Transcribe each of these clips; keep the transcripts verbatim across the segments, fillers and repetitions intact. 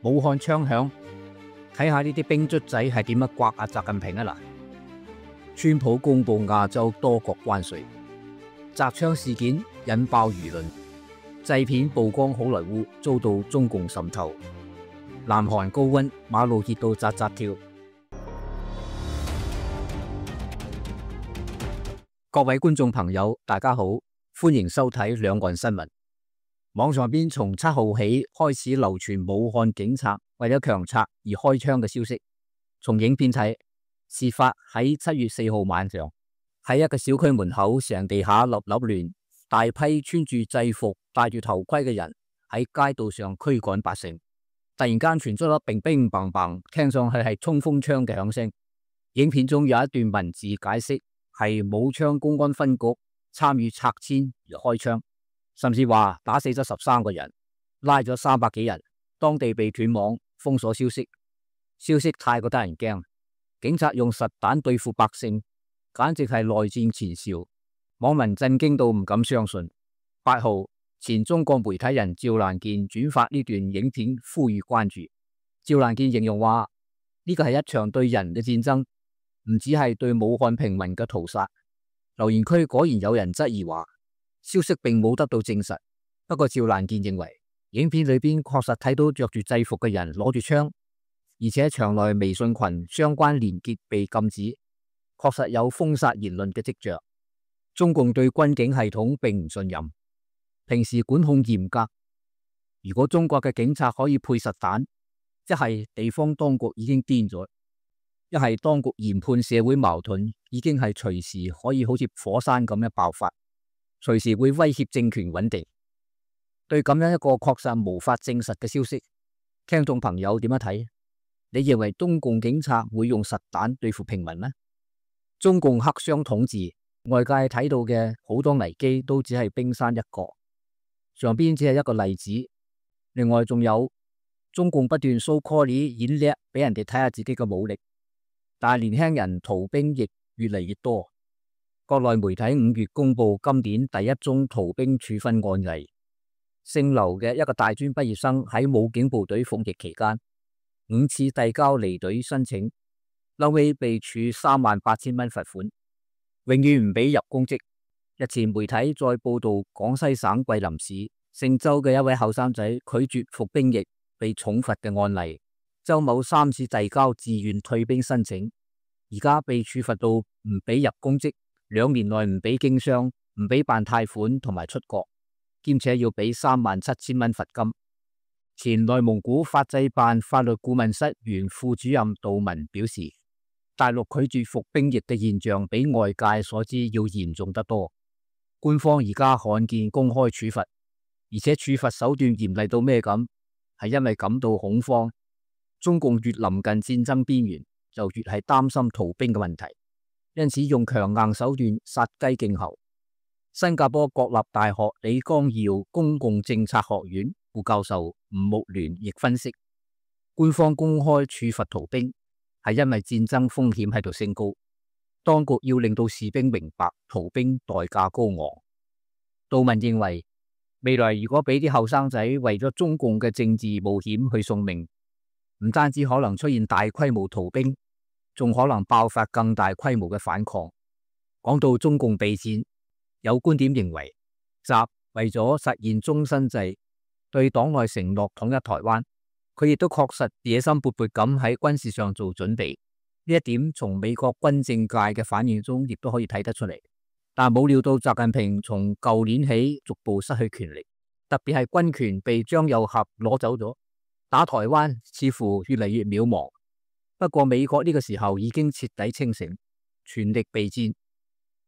武漢槍響，睇下呢啲兵卒仔係點樣刮阿習近平啊嗱！川普公布亞洲多國關稅，砸槍事件引爆輿論，製片曝光好萊塢遭到中共滲透，南韓高溫，馬路熱到扎扎跳。各位觀眾朋友，大家好，歡迎收睇兩岸新聞。網上邊從七號起開始流傳武漢警察為咗強拆而開槍嘅消息。從影片睇，事發喺七月四號晚上，喺一個小區門口，成地下立立亂，大批穿住制服、戴住頭盔嘅人喺街道上驅趕百姓。突然間傳出咗乒乒乓乓，聽上去係衝鋒槍嘅響聲。影片中有一段文字解釋係武昌公安分局參與拆遷而開槍。甚至話打死咗十三個人，拉咗三百幾人，當地被斷網封鎖消息。消息太過得人驚，警察用實彈對付百姓，簡直係內戰前兆。網民震驚到唔敢相信。八號，前中國媒體人趙蘭健轉發呢段影片，呼籲關注。趙蘭健形容話呢個係一場對人嘅戰爭，唔只係對武漢平民嘅屠殺。留言區果然有人質疑話，消息並冇得到證實，不過趙蘭健認為影片裏邊確實睇到着住制服嘅人攞住槍，而且場內微信群相關連結被禁止，確實有封殺言論嘅跡象。中共對軍警系統並唔信任，平時管控嚴格。如果中國嘅警察可以配實彈，一係地方當局已經癲咗，一係當局研判社會矛盾已經係隨時可以好似火山咁樣爆發，隨時會威脅政權穩定。對咁樣一個確實無法證實嘅消息，聽眾朋友點樣睇？你認為中共警察會用實彈對付平民咩？中共黑箱統治，外界睇到嘅好多危機都只係冰山一角，上邊只係一個例子。另外仲有中共不斷 show call 演叻，俾人哋睇下自己嘅武力，但係年輕人逃兵亦越嚟越多。國內媒體五月公布今年第一宗逃兵處分案例，姓劉嘅一個大專畢業生喺武警部隊服役期間，五次遞交離隊申請，後尾被處三萬八千蚊罰款，永遠唔俾入公職。日前媒體再報道廣西省桂林市姓周嘅一位後生仔拒絕服兵役被重罰嘅案例，周某三次遞交自願退兵申請，而家被處罰到唔俾入公職，兩年內唔俾經商，唔俾辦貸款同埋出國，兼且要俾三萬七千蚊罰金。前內蒙古法制辦法律顧問室原副主任杜文表示，大陸拒絕服兵役嘅現象比外界所知要嚴重得多。官方而家罕見公開處罰，而且處罰手段嚴厲到咩咁？係因為感到恐慌。中共越臨近戰爭邊緣，就越係擔心逃兵嘅問題。因此用強硬手段殺雞儆猴。新加坡國立大學李光耀公共政策學院副教授吳木聯亦分析，官方公開處罰逃兵係因為戰爭風險喺度升高，當局要令到士兵明白逃兵代價高昂。杜文認為，未來如果俾啲後生仔為咗中共嘅政治冒險去送命，唔單止可能出現大規模逃兵，仲可能爆發更大規模嘅反抗。講到中共備戰，有觀點認為，習為咗實現終身制，對黨內承諾統一台灣，佢亦都確實野心勃勃咁喺軍事上做準備。呢一點從美國軍政界嘅反應中亦都可以睇得出嚟。但冇料到習近平從舊年起逐步失去權力，特別係軍權被張又俠攞走咗，打台灣似乎越嚟越渺茫。不過美國呢個時候已經徹底清醒，全力備戰。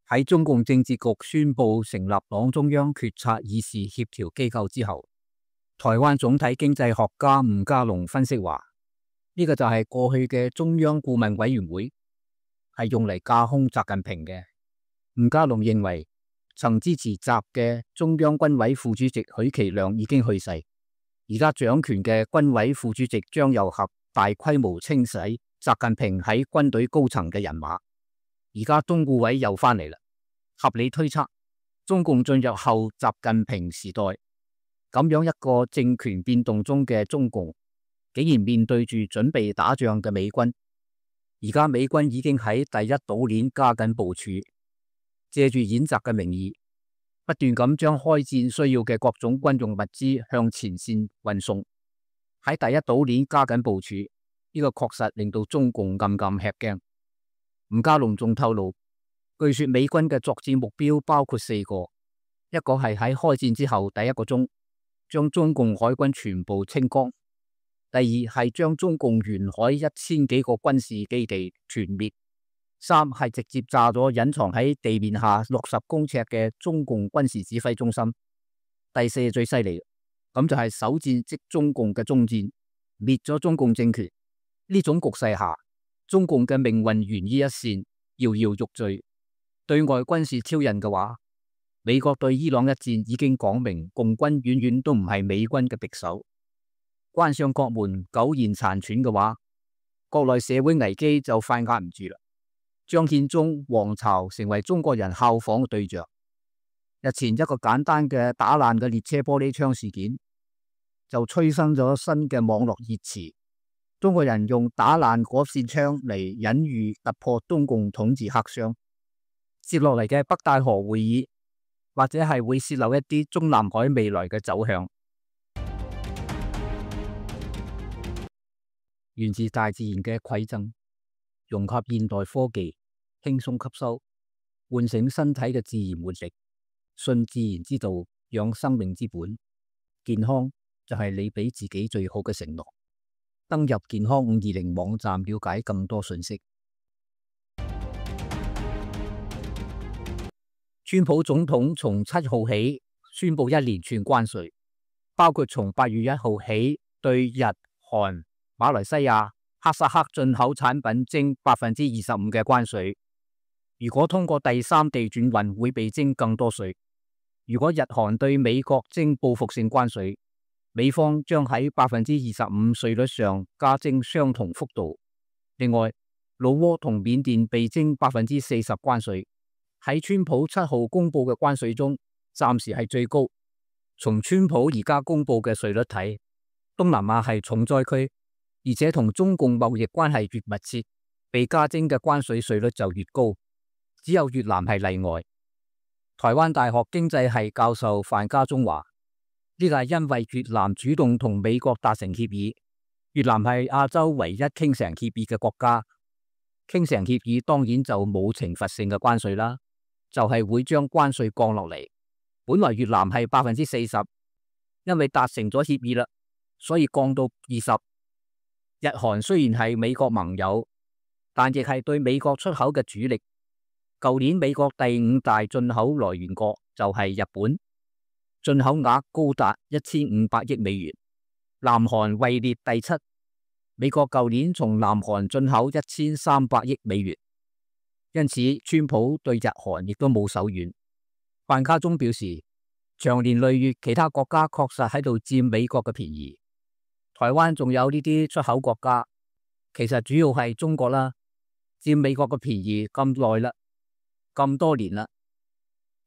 喺中共政治局宣布成立黨中央決策議事協調機構之後，台灣總體經濟學家吳家龍分析話，呢個就係過去嘅中央顧問委員會，係用嚟架空習近平嘅。吳家龍認為，曾支持習嘅中央軍委副主席許其亮已經去世，而家掌權嘅軍委副主席張又俠大規模清洗習近平喺軍隊高層嘅人馬，而家中顧委又翻嚟啦。合理推測，中共進入後習近平時代，咁樣一個政權變動中嘅中共，竟然面對住準備打仗嘅美軍。而家美軍已經喺第一島鏈加緊部署，借住演習嘅名義，不斷咁將開戰需要嘅各種軍用物資向前線運送。喺第一島鏈加緊部署，呢個確實令到中共暗暗吃驚。吳家龍仲透露，據說美軍嘅作戰目標包括四個，一個係喺開戰之後第一個鐘將中共海軍全部清光。第二係將中共沿海一千幾個軍事基地全滅，三係直接炸咗隱藏喺地面下六十公尺嘅中共軍事指揮中心。第四最犀利，咁就係首戰即中共嘅終戰，滅咗中共政權。呢種局勢下，中共嘅命運懸於一線，搖搖欲墜。對外軍事挑釁嘅話，美國對伊朗一戰已經講明，共軍遠遠都唔係美軍嘅敵手。關上國門苟延殘喘嘅話，國內社會危機就快壓唔住啦。張獻忠、黃巢成為中國人效仿嘅對象。日前一個簡單嘅打爛嘅列車玻璃窗事件，就催生咗新嘅網絡熱詞。中國人用打爛嗰扇窗嚟隱喻突破中共統治黑箱。接落嚟嘅北戴河會議，或者係會洩漏一啲中南海未來嘅走向。源自大自然嘅饋贈，融合現代科技，輕鬆吸收，喚醒身體嘅自然活力，信自然之道，養生命之本。健康就係你俾自己最好嘅承諾。登入健康五二零網站了解更多信息。川普總統從七號起宣布一連串關稅，包括從八月一號起對日、韓、馬來西亞、哈薩克進口產品徵百分之二十五嘅關稅。如果通過第三地轉運，會被徵更多稅。如果日韓對美國徵報復性關稅，美方將喺百分之二十五稅率上加徵相同幅度。另外，老撾同緬甸被徵百分之四十關稅，喺川普七號公布嘅關稅中，暫時係最高。從川普而家公布嘅稅率睇，東南亞係重災區。而且同中共貿易關係越密切，被加徵嘅關稅稅率就越高，只有越南係例外。台灣大學經濟系教授范家忠話：呢個係因為越南主動同美國達成協議，越南係亞洲唯一傾成協議嘅國家，傾成協議當然就冇懲罰性嘅關稅啦，就係、是、會將關稅降落嚟。本來越南係百分之四十，因為達成咗協議啦，所以降到二十。日韓雖然係美國盟友，但亦係對美國出口嘅主力。舊年美國第五大進口來源國就係日本，進口額高達一千五百億美元。南韓位列第七，美國舊年從南韓進口一千三百億美元。因此，川普對日韓亦都冇手軟。范家忠表示，長年累月，其他國家確實喺度佔美國嘅便宜。台灣仲有呢啲出口國家，其實主要係中國啦，佔美國嘅便宜咁耐啦，咁多年啦。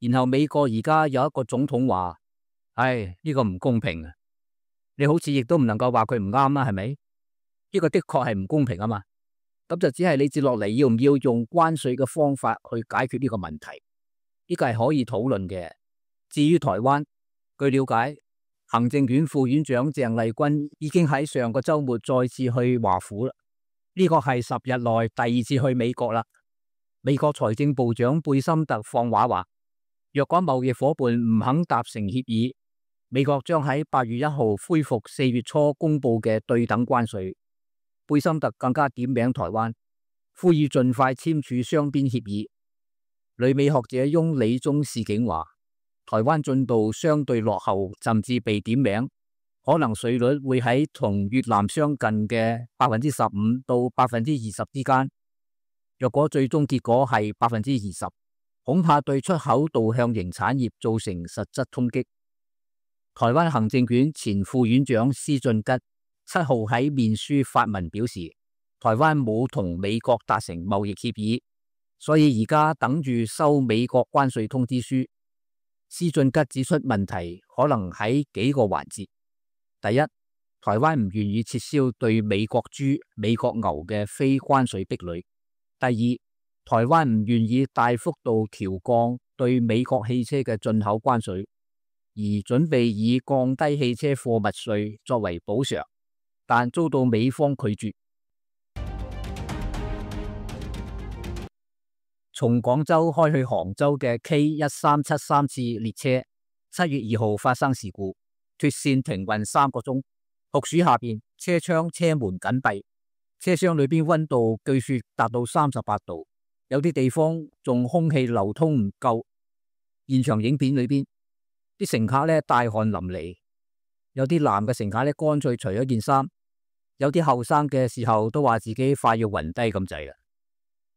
然後美國而家有一個總統話：唉，呢個唔公平啊！你好似亦都唔能夠話佢唔啱啦，係咪？呢個的確係唔公平啊嘛。咁就只係你接落嚟要唔要用關稅嘅方法去解決呢個問題？呢個係可以討論嘅。至於台灣，據了解，行政院副院長鄭麗君已經喺上個週末再次去華府啦。呢個係十日內第二次去美國啦。美國財政部長貝森特放話話，若果貿易夥伴唔肯達成協議，美國將喺八月一號恢復四月初公布嘅對等關稅。貝森特更加點名台灣，呼籲盡快簽署雙邊協議。旅美學者翁理中示警話，台灣進度相對落後，甚至被點名，可能稅率會喺同越南相近嘅百分之十五到百分之二十之間。若果最終結果係百分之二十，恐怕對出口導向型產業造成實質衝擊。台灣行政院前副院長施俊吉七號喺面書發文表示，台灣冇同美國達成貿易協議，所以而家等住收美國關稅通知書。施俊吉指出，問題可能喺幾個環節。第一，台台灣唔願意撤銷對美國豬、美國牛嘅非關稅壁壘。第二，台灣唔願意大幅度調降對美國汽車嘅進口關稅，而準備以降低汽車貨物稅作為補償，但遭到美方拒絕。從廣州開去杭州嘅 K 一三七三次列車，七月二號發生事故，脫線停運三個鐘。酷暑下邊，車窗車門緊閉，車廂裏邊溫度據說達到三十八度，有啲地方仲空氣流通唔夠。現場影片裏邊，啲乘客咧大汗淋漓，有啲男嘅乘客咧乾脆除咗件衫，有啲後生嘅時候都話自己快要暈低咁滯啦。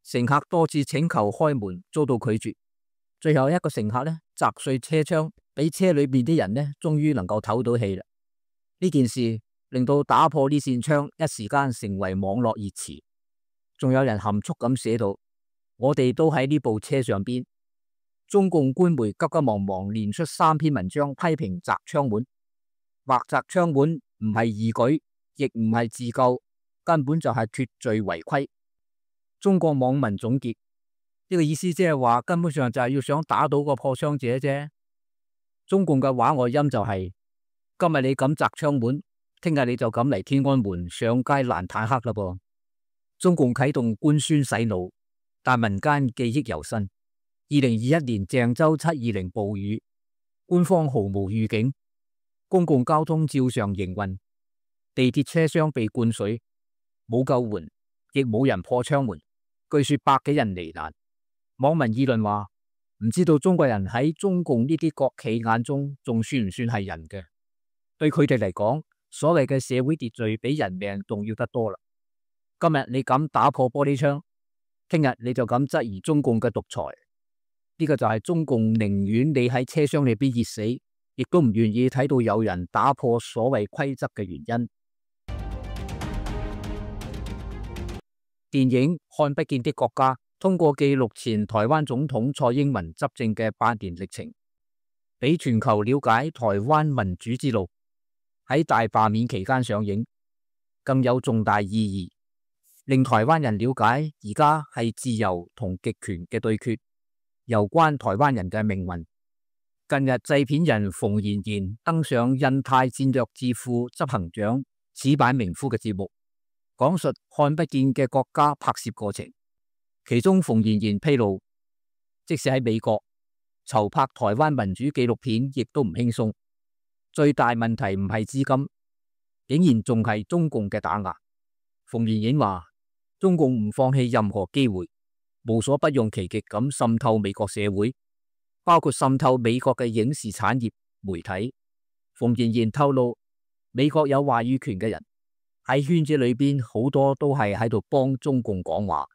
乘客多次請求開門，遭到拒絕。最後一個乘客咧砸碎車窗，俾車裏邊啲人咧終於能夠唞到氣啦。呢件事令到打破呢扇窗一時間成為網絡熱詞。仲有人含蓄咁寫到：我哋都喺呢部車上邊。中共官媒急急忙忙連出三篇文章批評砸窗門，或砸窗門唔係義舉，亦唔係自救，根本就係脫罪違規。中國網民總結呢個意思，即係話根本上就係要想打倒個破窗者啫。中共嘅話外音就係：今日你敢砸窗門，聽日你就敢嚟天安門上街攔坦克啦噃。中共啟動官宣洗腦，但民間記憶猶新。二零二一年鄭州七二零暴雨，官方毫無預警，公共交通照常營運，地鐵車廂被灌水，冇救援，亦冇人破窗門。據說百幾人罹難。網民議論話：唔知道中國人喺中共呢啲國企眼中仲算唔算係人嘅？對佢哋嚟講，所謂嘅社會秩序比人命重要得多啦。今日你敢打破玻璃窗，聽日你就敢質疑中共嘅獨裁。呢個就係中共寧願你喺車廂裏邊熱死，亦都唔願意睇到有人打破所謂規則嘅原因。電影《看不見的國家》通過記錄前台灣總統蔡英文執政嘅八年歷程，俾全球了解台灣民主之路。喺大罷免期間上映，更有重大意義，令台灣人了解而家係自由同極權嘅對決，攸關台灣人嘅命運。近日製片人馮妍妍登上印太戰略智庫執行長矢板明夫嘅節目，講述看不見嘅國家拍攝過程。其中馮妍妍披露，即使喺美國籌拍台灣民主紀錄片亦都唔輕鬆，最大問題唔係資金，竟然仲係中共嘅打壓。馮妍妍話：中共唔放棄任何機會，無所不用其極咁滲透美國社會，包括滲透美國嘅影視產業、媒體。馮妍妍透露，美國有話語權嘅人喺圈子裏邊好多都係喺度幫中共講話，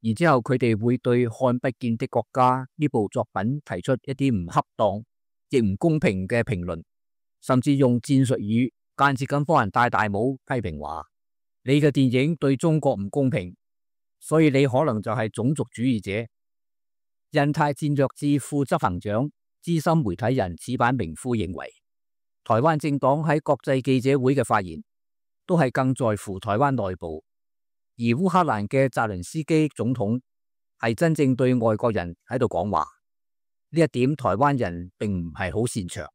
然之後佢哋會對《看不見的國家》呢部作品提出一啲唔恰當亦唔公平嘅評論，甚至用戰術語間接咁幫人戴大帽，批評話你嘅電影對中國唔公平，所以你可能就係種族主義者。印太戰略智庫執行長資深媒體人矢板明夫認為，台灣政黨喺國際記者會嘅發言都係更在乎台灣內部，而烏克蘭嘅澤連斯基總統係真正對外國人喺度講話。呢一點台灣人並唔係好擅長，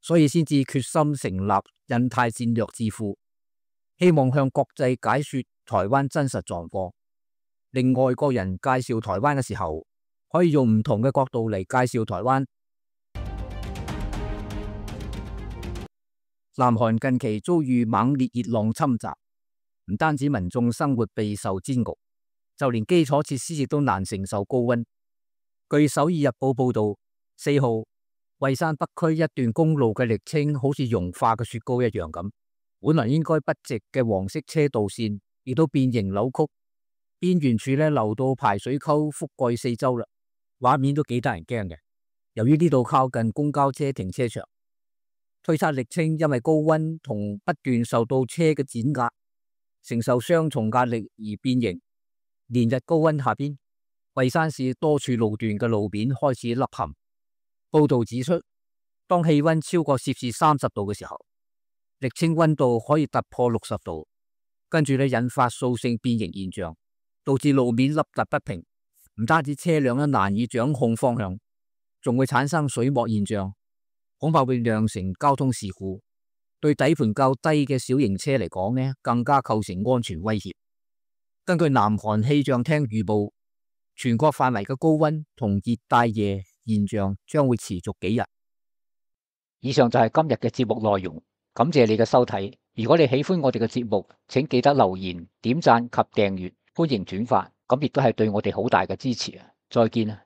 所以先至決心成立印太戰略智庫，希望向國際解說台灣真實狀況，令外國人介紹台灣嘅時候可以用唔同嘅角度嚟介紹台灣。南韓近期遭遇猛烈熱浪侵襲，唔單止民眾生活備受煎熬，就連基礎設施亦都難承受高溫。據首爾日報報道，四號蔚山北區一段公路嘅瀝青好似融化嘅雪糕一樣咁，本來應該筆直嘅黃色車道線亦都變形扭曲，邊緣處咧流到排水溝覆蓋四周啦，畫面都幾得人驚嘅。由於呢度靠近公交車停車場，推測瀝青因為高溫同不斷受到車嘅碾壓，承受雙重壓力而變形。連日高溫下邊，蔚山市多處路段嘅路面開始凹陷。報道指出，當氣溫超過攝氏三十度嘅時候，瀝青溫度可以突破六十度，跟住咧引發掃性變形現象，導致路面凹凸不平，唔單止車輛咧難以掌控方向，仲會產生水膜現象，恐怕會釀成交通事故。對底盤較低嘅小型車嚟講呢，更加構成安全威脅。根據南韓氣象廳預報，全國範圍嘅高溫同熱帶夜現象將會持續幾日。以上就係今日嘅節目內容，感謝你嘅收睇。如果你喜歡我哋嘅節目，請記得留言、點讚及訂閱，歡迎轉發，咁亦都係對我哋好大嘅支持啊！再見啊！